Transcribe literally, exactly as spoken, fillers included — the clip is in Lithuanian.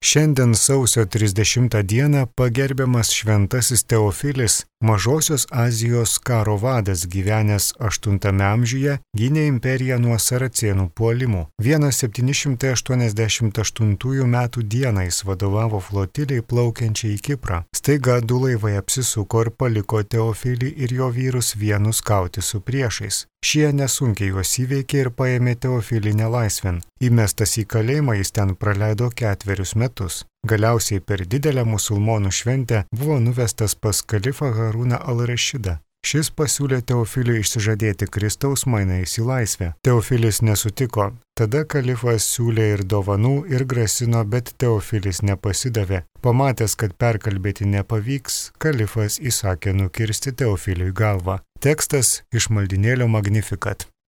Šiandien sausio trisdešimtą dieną pagerbiamas šventasis Teofilis, Mažosios Azijos karo vadas gyvenęs aštuntame amžiuje, gynė imperiją nuo saracėnų puolimų. septyni šimtai aštuoniasdešimt aštuntųjų metų dieną jis vadovavo flotiliai plaukiančiai į Kiprą. Staiga du laivai apsisuko ir paliko Teofilį ir jo vyrus vienus kauti su priešais. Šie nesunkiai juos įveikė ir paėmė Teofilį nelaisvėn. Įmestas į kalėjimą jis ten praleido ketverius metus. Galiausiai per didelę musulmonų šventę buvo nuvestas pas kalifą Harūną al-Rašidą. Šis pasiūlė Teofiliui išsižadėti Kristaus mainais į laisvę. Teofilis nesutiko. Tada kalifas siūlė ir dovanų ir grasino, bet Teofilis nepasidavė. Pamatęs, kad perkalbėti nepavyks, kalifas įsakė nukirsti Teofiliui galvą. Tekstas iš maldynėlio Magnificat.